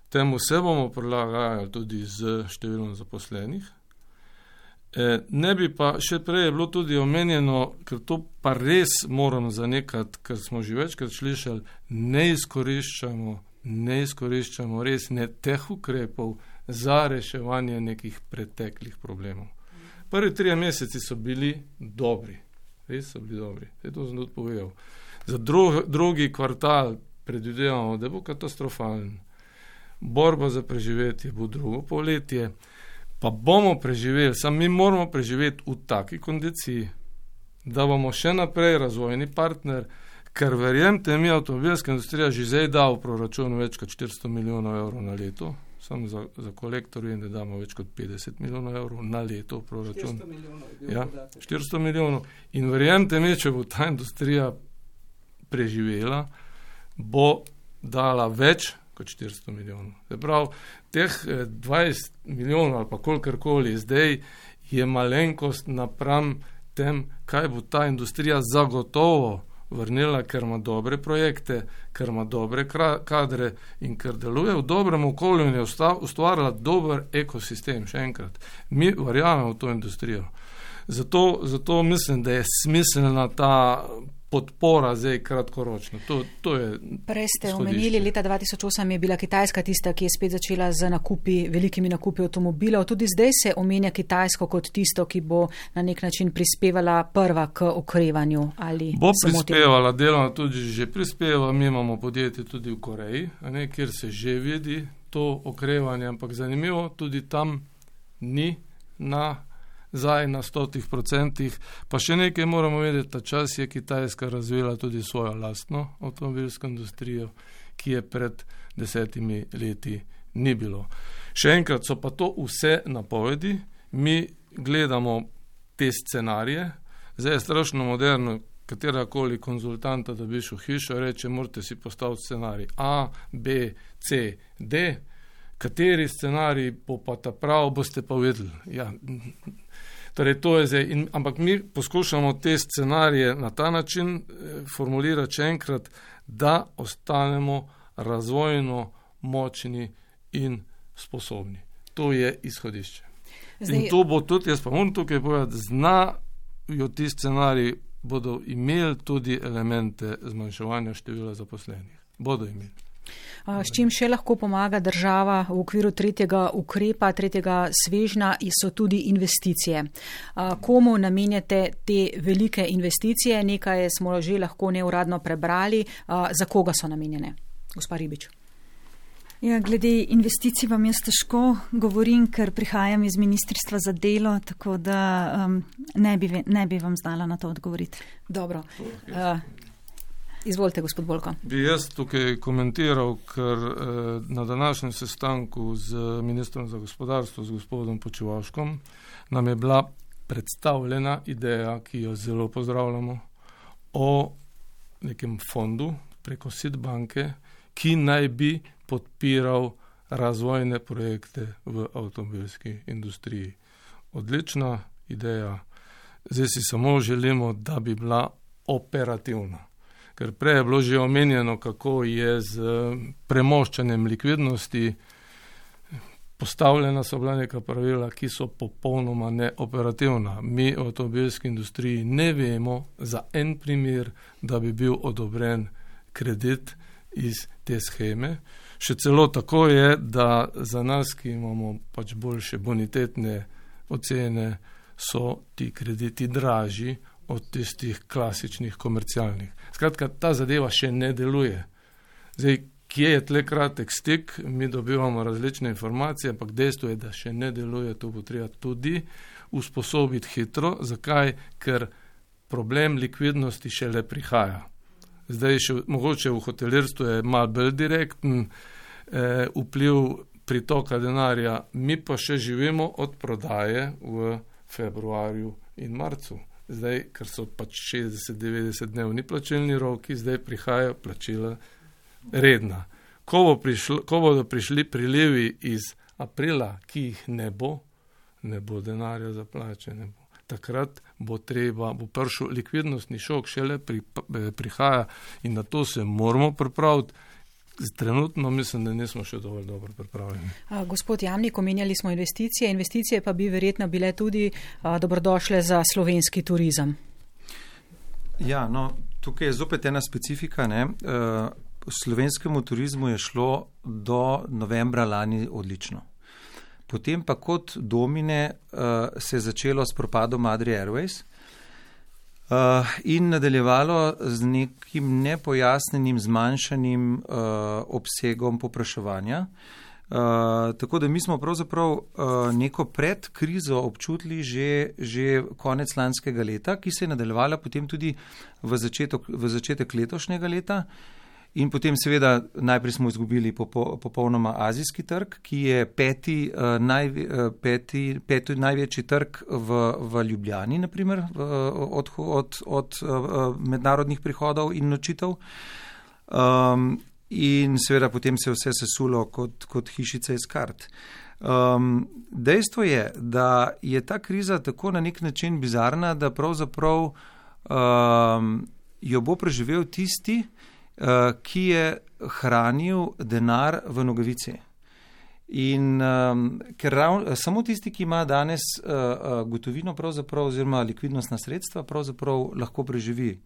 temu se bomo prilagajali tudi z številom zaposlenih. Ne bi pa, še prej je bilo tudi omenjeno, ker to pa res moram zanikati, ker smo že večkrat slišali, ne izkoriščamo res ne teh ukrepov za reševanje nekih preteklih problemov. Prvi 3 meseci so bili dobri, res so bili dobri, to sem tudi povedal. Za drugi kvartal predvidevamo, da bo katastrofalen. Borba za preživetje bo drugo polletje, pa bomo preživeli, samo mi moramo preživeti v taki kondiciji, da bomo še naprej razvojni partner, ker verjemte mi, avtomobilska industrija že zdaj da v proračunu več kot 400 milijonov evrov na leto, samo za kolektor vem, da damo več kot 50 milijonov evrov na leto v proračun. 400 milijonov. Ja, 400 milijonov. In verjemte mi, če bo ta industrija preživela, bo dala več kot 400 milijonov. Prav, teh 20 milijonov ali pa kolikorkoli zdaj je malenkost napram tem, kaj bo ta industrija zagotovo vrnila, ker ima dobre projekte, ker ima dobre kadre in ker deluje v dobrem okolju in je ustvarila dober ekosistem. Še enkrat, mi verjamemo v to industrijo. Zato mislim, da je smiselna ta podpora zdaj kratkoročno. To je prej ste omenili, leta 2008 je bila Kitajska tista, ki je spet začela z velikimi nakupi avtomobilov. Tudi zdaj se omenja Kitajsko kot tisto, ki bo na nek način prispevala prva k okrevanju. Bo prispevala, deloma tudi že prispeva. Mi imamo podjetje tudi v Koreji, kjer se že vidi to okrevanje, ampak zanimivo, tudi tam ni zdaj na 100%, pa še nekaj moramo vedeti, ta čas je Kitajska razvila tudi svojo lastno avtomobilsko industrijo, ki je pred 10 leti ni bilo. Še enkrat so pa to vse napovedi, mi gledamo te scenarije, zdaj je strašno moderno, katerakoli konzultanta dobiš v hišo, reče, morate si postaviti scenarij A, B, C, D, kateri scenarij bo pa ta prav, boste pa vedeli. Ja, torej to je zdaj, ampak mi poskušamo te scenarije na ta način formulirati še enkrat, da ostanemo razvojno močni in sposobni. To je izhodišče. In to bo tudi, jaz pa moram tukaj povedati, znajo ti scenariji, bodo imeli tudi elemente zmanjševanja števila zaposlenih. Bodo imeli. S čim še lahko pomaga država v okviru tretjega ukrepa, tretjega svežnja, so tudi investicije. Komu namenjate te velike investicije? Nekaj smo že lahko neuradno prebrali. Za koga so namenjene? Gospa Ribič. Ja, glede investicij vam jaz težko govorim, ker prihajam iz Ministrstva za delo, tako da ne bi vam znala na to odgovoriti. Dobro. Izvolite, gospod Bolko. Bi jaz tukaj komentiral, ker na današnjem sestanku z ministrom za gospodarstvo, z gospodom Počivalškom, nam je bila predstavljena ideja, ki jo zelo pozdravljamo, o nekem fondu preko SID banke, ki naj bi podpiral razvojne projekte v avtomobilski industriji. Odlična ideja. Zdaj si samo želimo, da bi bila operativna. Ker prej je bilo že omenjeno, kako je z premoščanjem likvidnosti. Postavljena so bila neka pravila, ki so popolnoma neoperativna. Mi v avtomobilski industriji ne vemo za en primer, da bi bil odobren kredit iz te sheme. Še celo tako je, da za nas, ki imamo pač boljše bonitetne ocene, so ti krediti dražji od tistih klasičnih komercialnih. Skratka, ta zadeva še ne deluje. Zdaj, kje je tle kratek stik, mi dobivamo različne informacije, ampak dejstvo je, da še ne deluje, to bo treba tudi usposobiti hitro. Zakaj? Ker problem likvidnosti šele prihaja. Zdaj še mogoče v hotelirstvu je malo bolj direkten vpliv pritoka denarja, mi pa še živimo od prodaje v februarju in marcu. Zdaj, ker so pač 60-90 dnevni plačilni roki, zdaj prihajajo plačila redna. Ko bodo prišli prilivi iz aprila, ki jih ne bo denarja za plače, ne bo. Takrat bo prišel likvidnostni šok, šele prihaja in na to se moramo pripraviti. Trenutno mislim, da nismo še dovolj dobro pripravljeni. Gospod Jamnik, omenjali smo investicije pa bi verjetno bile tudi dobrodošle za slovenski turizem. Ja, no, tukaj je zopet ena specifika, ne. Slovenskemu turizmu je šlo do novembra lani odlično. Potem pa kot domine se je začelo s propadom Adria Airways in nadaljevalo z nekim nepojasnenim zmanjšanim obsegom povpraševanja. Tako da mi smo pravzaprav neko pred krizo občutili že konec lanskega leta, ki se je nadaljevala potem tudi v začetek letošnjega leta. In potem seveda najprej smo izgubili popolnoma azijski trg, ki je peti največji trg v Ljubljani, naprimer, od mednarodnih prihodov in nočitev. In seveda potem se je vse sesulo kot hišica iz kart. Dejstvo je, da je ta kriza tako na nek način bizarna, da pravzaprav jo bo preživel tisti, ki je hranil denar v nogavici. In ker samo tisti, ki ima danes gotovino pravzaprav oziroma likvidnostna sredstva, pravzaprav lahko preživi.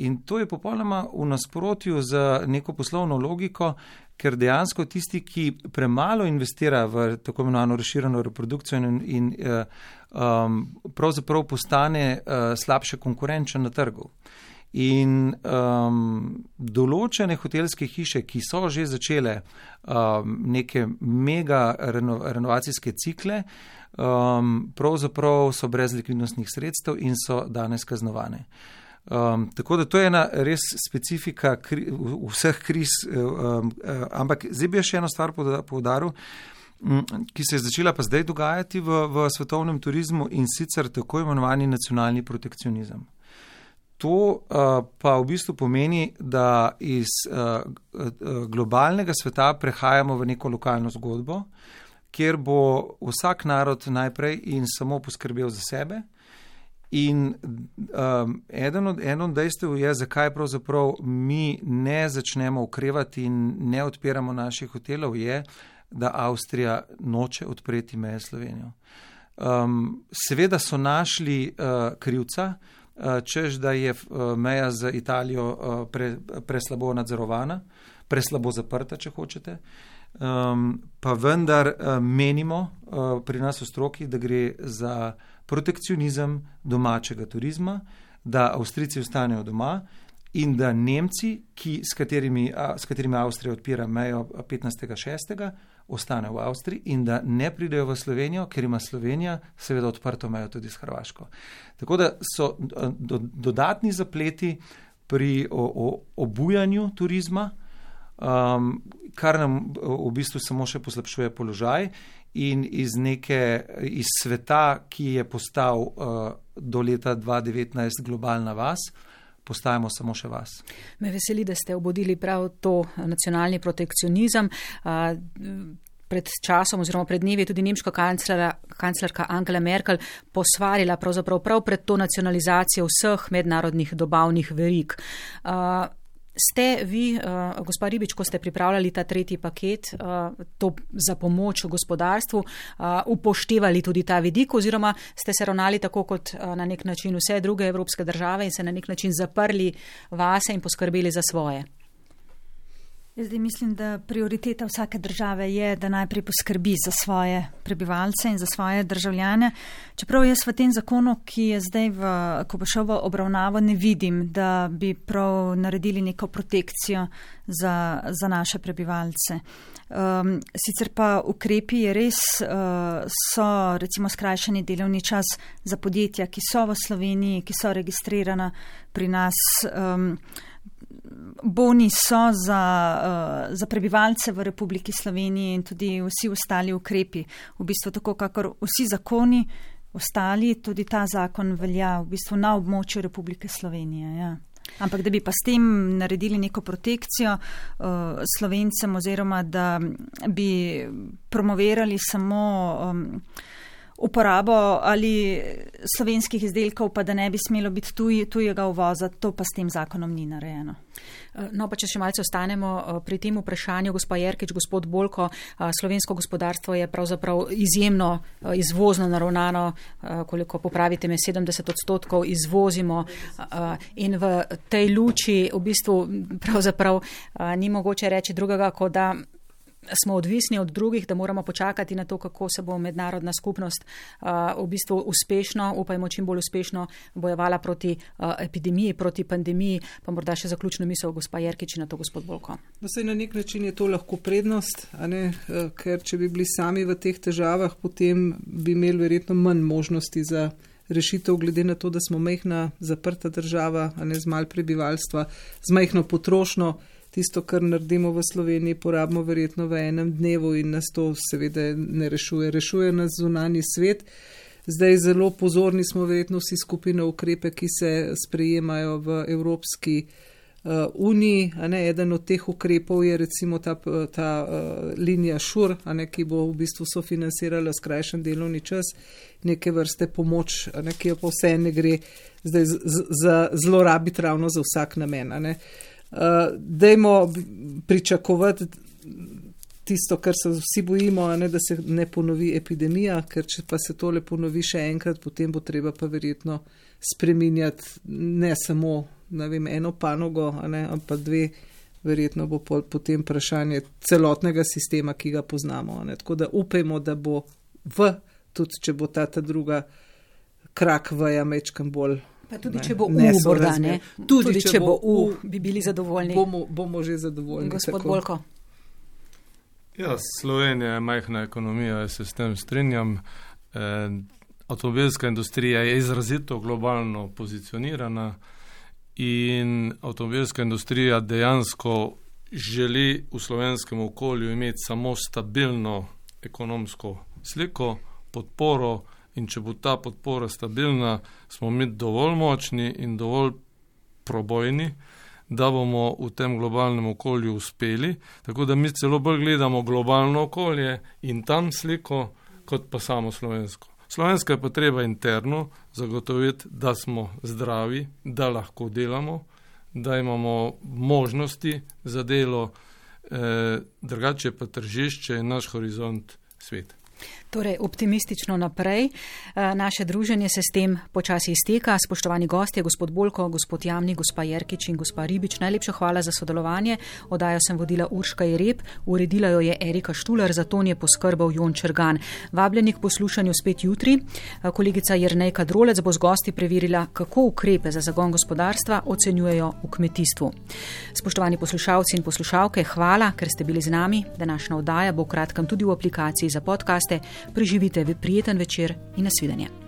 In to je popolnoma v nasprotju z neko poslovno logiko, ker dejansko tisti, ki premalo investira v tako imenovano razširjeno reprodukcijo in pravzaprav postane slabše konkurenčen na trgu. In določene hotelske hiše, ki so že začele neke mega renovacijske cikle, pravzaprav so brez likvidnostnih sredstev in so danes kaznovane. Tako da to je ena res specifika vseh kriz, ampak zdaj bi še eno stvar poudaril, ki se je začela pa zdaj dogajati v svetovnem turizmu, in sicer tako imenovani nacionalni protekcionizem. To pa v bistvu pomeni, da iz globalnega sveta prehajamo v neko lokalno zgodbo, kjer bo vsak narod najprej in samo poskrbel za sebe. In eno od dejstev je, zakaj pravzaprav mi ne začnemo okrevati in ne odpiramo naših hotelov, je, da Avstrija noče odpreti meje s Slovenijo. Seveda so našli krivca, češ, da je meja z Italijo preslabo nadzorovana, preslabo zaprta, če hočete. Pa vendar menimo pri nas v stroki, da gre za protekcionizem domačega turizma, da Avstrijci ostanejo doma in da Nemci, s katerimi Avstrija odpira mejo 15.6., ostane v Avstriji in da ne pridejo v Slovenijo, ker ima Slovenija seveda odprto mejo tudi s Hrvaško. Tako da so dodatni zapleti pri obujanju turizma, kar nam v bistvu samo še poslabšuje položaj, in iz sveta, ki je postal do leta 2019 globalna vas, postajamo samo še vas. Me veseli, da ste obudili prav to nacionalni protekcionizem. Pred časom oziroma pred dnevi je tudi nemška kanclerka Angela Merkel posvarila prav pred to nacionalizacijo vseh mednarodnih dobavnih verig. Ste vi, gospa Ribič, ko ste pripravljali ta tretji paket, to za pomoč v gospodarstvu, upoštevali tudi ta vidik oziroma ste se ravnali tako kot na nek način vse druge evropske države in se na nek način zaprli vase in poskrbeli za svoje? Jaz zdaj mislim, da prioriteta vsake države je, da najprej poskrbi za svoje prebivalce in za svoje državljane. Čeprav jaz v tem zakonu, ki je zdaj, ko bo šel v obravnavo, ne vidim, da bi prav naredili neko protekcijo za naše prebivalce. Sicer pa ukrepi je res, so recimo skrajšani delovni čas za podjetja, ki so v Sloveniji, ki so registrirana pri nas. Boni so za prebivalce v Republiki Sloveniji in tudi vsi ostali ukrepi. V bistvu tako, kakor vsi zakoni ostali, tudi ta zakon velja v bistvu na območju Republike Slovenije. Ja. Ampak da bi pa s tem naredili neko protekcijo Slovencem oziroma da bi promovirali samo uporabo ali slovenskih izdelkov, pa da ne bi smelo biti tujega uvoza, to pa s tem zakonom ni narejeno. No, pa če še malce ostanemo pri tem vprašanju, gospa Jerkič, gospod Bolko, slovensko gospodarstvo je pravzaprav izjemno izvozno naravnano, koliko popravite me, 70% izvozimo in v tej luči v bistvu pravzaprav ni mogoče reči drugega, kot da smo odvisni od drugih, da moramo počakati na to, kako se bo mednarodna skupnost v bistvu uspešno, upajmo čim bolj uspešno bojevala proti epidemiji, proti pandemiji, pa morda še zaključno misel gospa Jerkič na to gospod Bolko. No, saj na nek način je to lahko prednost, a ne? Ker če bi bili sami v teh težavah, potem bi imeli verjetno manj možnosti za rešitev, glede na to, da smo majhna zaprta država, a ne z malo prebivalstva, z majhno potrošnjo. Tisto, kar naredimo v Sloveniji, porabimo verjetno v enem dnevu in nas to seveda ne rešuje. Rešuje nas zunanji svet. Zdaj zelo pozorni smo verjetno vsi skupaj na ukrepe, ki se sprejemajo v Evropski uniji. Eden od teh ukrepov je recimo ta linija ŠUR, ki bo v bistvu sofinancirala skrajšan delovni čas, neke vrste pomoč, ki jo pa vse ne gre zdaj zlorabiti ravno za vsak namen. Dajmo pričakovati tisto, kar se vsi bojimo, da se ne ponovi epidemija, ker če pa se tole ponovi še enkrat, potem bo treba pa verjetno spreminjati ne samo eno panogo, ampak dve, verjetno bo potem vprašanje celotnega sistema, ki ga poznamo. Tako da upajmo, da bo tudi če bo ta druga krak veja mečkam bolj. Pa tudi če bo morda, ne? Tudi če bo bi bili zadovoljni. Bomo že zadovoljni. Gospod Bolko. Ja, Slovenija je majhna ekonomija, jaz se s tem strinjam. Avtomobilska industrija je izrazito globalno pozicionirana in avtomobilska industrija dejansko želi v slovenskem okolju imeti samo stabilno ekonomsko sliko, podporo. In če bo ta podpora stabilna, smo mi dovolj močni in dovolj probojni, da bomo v tem globalnem okolju uspeli. Tako da mi celo bolj gledamo globalno okolje in tam sliko, kot pa samo slovensko. Slovensko je pa treba interno zagotoviti, da smo zdravi, da lahko delamo, da imamo možnosti za delo, drugače pa tržišče in naš horizont svet. Torej, optimistično naprej. Naše druženje se s tem počasi izteka. Spoštovani gostje, gospod Bolko, gospod Jamnik, gospa Jerkič in gospa Ribič, najlepša hvala za sodelovanje. Oddajo sem vodila Urška Jereb, uredila jo je Erika Štular, za ton je poskrbel Jon Črgan. Vabljeni k poslušanju spet jutri. Kolegica Jernejka Drolec bo z gosti preverila, kako ukrepe za zagon gospodarstva ocenjujejo v kmetijstvu. Spoštovani poslušalci in poslušalke, hvala, ker ste bili z nami. Današnja oddaja bo v kratkem tudi v aplikaciji za podcaste. Preživite prijeten večer in nasvidenje.